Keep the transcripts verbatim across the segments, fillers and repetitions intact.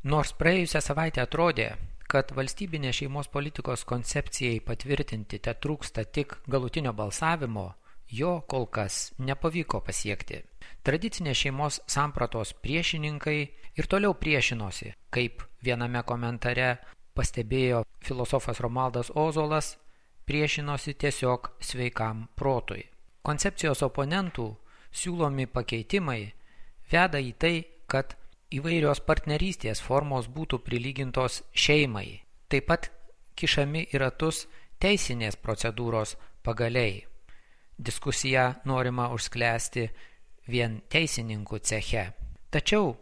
Nors praėjusią savaitę atrodė, kad valstybinės šeimos politikos koncepcijai patvirtinti te trūksta tik galutinio balsavimo, jo kol kas nepavyko pasiekti. Tradicinės šeimos sampratos priešininkai ir toliau priešinosi, kaip viename komentare pastebėjo filosofas Romualdas Ozolas, priešinosi tiesiog sveikam protui. Koncepcijos oponentų siūlomi pakeitimai veda į tai, kad įvairios partnerystės formos būtų prilygintos šeimai. Taip pat kišami į ratus teisinės procedūros pagaliai. Diskusiją norima užsklęsti vien teisininkų ceche. Tačiau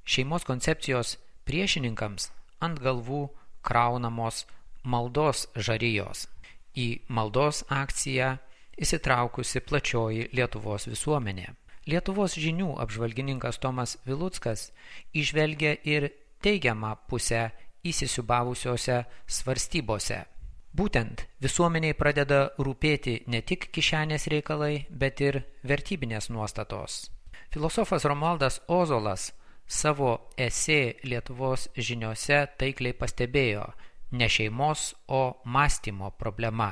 šeimos koncepcijos priešininkams ant galvų kraunamos maldos žarijos. Į maldos akciją įsitraukusi plačioji Lietuvos visuomenė. Lietuvos žinių apžvalgininkas Tomas Viluckas įžvelgia ir teigiamą pusę įsisiūbavusiose svarstybose. Būtent visuomeniai pradeda rūpėti ne tik kišenės reikalai, bet ir vertybinės nuostatos. Filosofas Romualdas Ozolas savo esė Lietuvos žiniose taikliai pastebėjo ne šeimos, o mąstymo problema.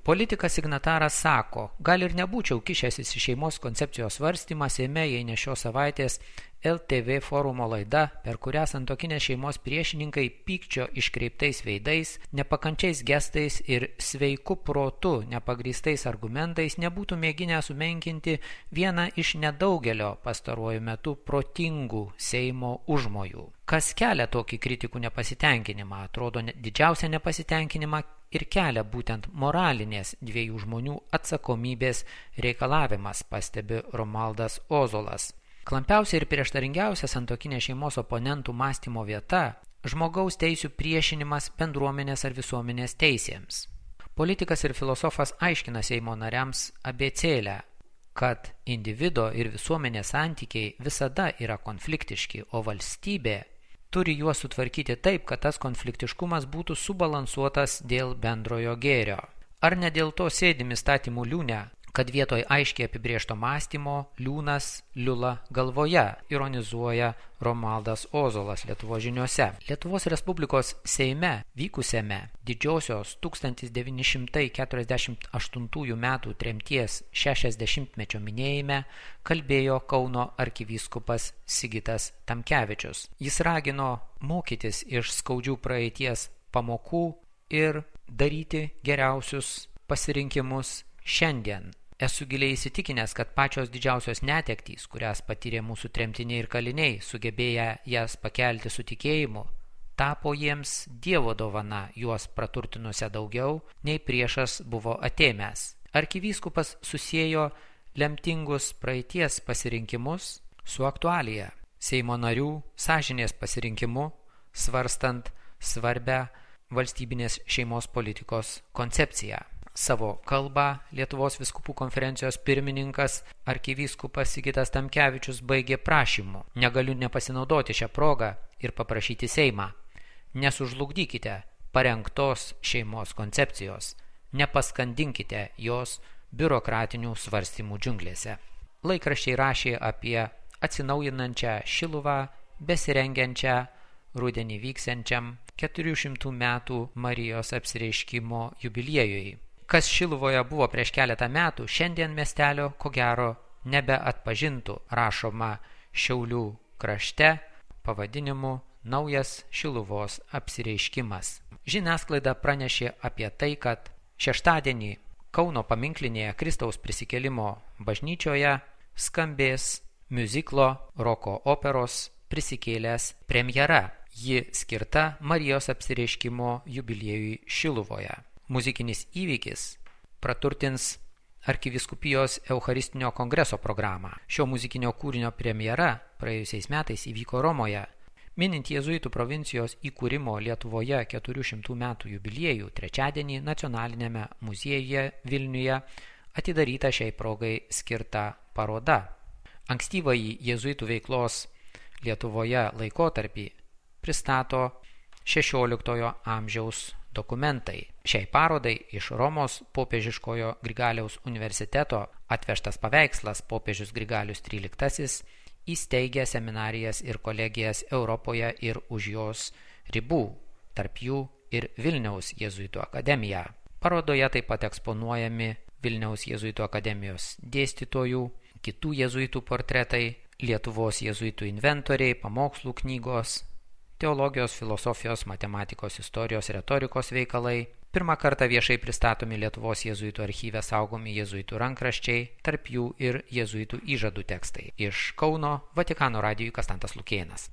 Politikas signataras sako, gal ir nebūčiau kišęsis į šeimos koncepcijos svarstymą Seime, jei ne šios savaitės L T V forumo laida, per kurią santuokinės šeimos priešininkai pykčio iškreiptais veidais, nepakančiais gestais ir sveiku protu nepagrįstais argumentais nebūtų mėginę sumenkinti vieną iš nedaugelio pastaruoju metu protingų Seimo užmojų. Kas kelia tokį kritikų nepasitenkinimą, atrodo didžiausią nepasitenkinimą ir kelia būtent moralinės dviejų žmonių atsakomybės reikalavimas, pastebi Romualdas Ozolas. Klampiausia ir prieštaringiausia santuokinės šeimos oponentų mąstymo vieta – žmogaus teisių priešinimas bendruomenės ar visuomenės teisėms. Politikas ir filosofas aiškina Seimo nariams abėcėlę, kad individo ir visuomenės santykiai visada yra konfliktiški, o valstybė turi juos sutvarkyti taip, kad tas konfliktiškumas būtų subalansuotas dėl bendrojo gėrio. Ar ne dėl to sėdim įstatymų liūne, kad vietoj aiškiai apibrėžto mąstymo liūnas liula galvoje, ironizuoja Romualdas Ozolas Lietuvos žiniose. Lietuvos Respublikos Seime vykusiame didžiosios tūkstantis devyni šimtai keturiasdešimt aštuntųjų metų tremties šešiasdešimtmečio minėjime kalbėjo Kauno arkivyskupas Sigitas Tamkevičius. Jis ragino mokytis iš skaudžių praeities pamokų ir daryti geriausius pasirinkimus šiandien. Esu giliai įsitikinęs, kad pačios didžiausios netektys, kurias patyrė mūsų tremtiniai ir kaliniai, sugebėję jas pakelti su tikėjimu, tapo jiems Dievo dovana, juos praturtinusią daugiau, nei priešas buvo atėmęs. Arkivyskupas susiejo lemtingus praeities pasirinkimus su aktualija, Seimo narių sąžinės pasirinkimu, svarstant svarbę valstybinės šeimos politikos koncepciją. Savo kalbą Lietuvos vyskupų konferencijos pirmininkas arkivyskupas Sigitas Tamkevičius baigė prašymu. Negaliu nepasinaudoti šią progą ir paprašyti Seimą. Nesužlugdykite parengtos šeimos koncepcijos. Nepaskandinkite jos biurokratinių svarstymų džiunglėse. Laikraščiai rašė apie atsinaujinančią Šiluvą, besirengiančią rudenį vyksiančiam keturių šimtų metų Marijos apsireiškimo jubiliejui. Kas Šiluvoje buvo prieš keletą metų, šiandien miestelio ko gero nebeatpažintų, rašoma Šiaulių krašte pavadinimu Naujas Šiluvos apsireiškimas. Žiniasklaida pranešė apie tai, kad šeštadienį Kauno paminklinėje Kristaus prisikėlimo bažnyčioje skambės miuziklo roko operos Prisikėlęs premjera. Ji skirta Marijos apsireiškimo jubiliejui Šiluvoje. Muzikinis įvykis praturtins arkivyskupijos Eucharistinio kongreso programą. Šio muzikinio kūrinio premjera praėjusiais metais įvyko Romoje. Minint jėzuitų provincijos įkūrimo Lietuvoje keturių šimtų metų jubiliejų, trečiadienį Nacionalinėme muziejuje Vilniuje atidaryta šiai progai skirta paroda. Ankstyvąjį jėzuitų veiklos Lietuvoje laikotarpį pristato šešioliktojo amžiaus dokumentai. Šiai parodai iš Romos popiežiškojo Grigaliaus universiteto atvežtas paveikslas popiežius Grigalius tryliktasis įsteigė seminarijas ir kolegijas Europoje ir už jos ribų, tarp jų ir Vilniaus jėzuitų akademija. Parodoje taip pat eksponuojami Vilniaus jėzuitų akademijos dėstytojų, kitų jėzuitų portretai, Lietuvos jėzuitų inventoriai, pamokslų knygos, teologijos, filosofijos, matematikos, istorijos, retorikos veikalai. Pirmą kartą viešai pristatomi Lietuvos jėzuitų archyve saugomi jėzuitų rankraščiai, tarp jų ir jėzuitų įžadų tekstai. Iš Kauno Vatikano radijui Kastantas Lukėnas.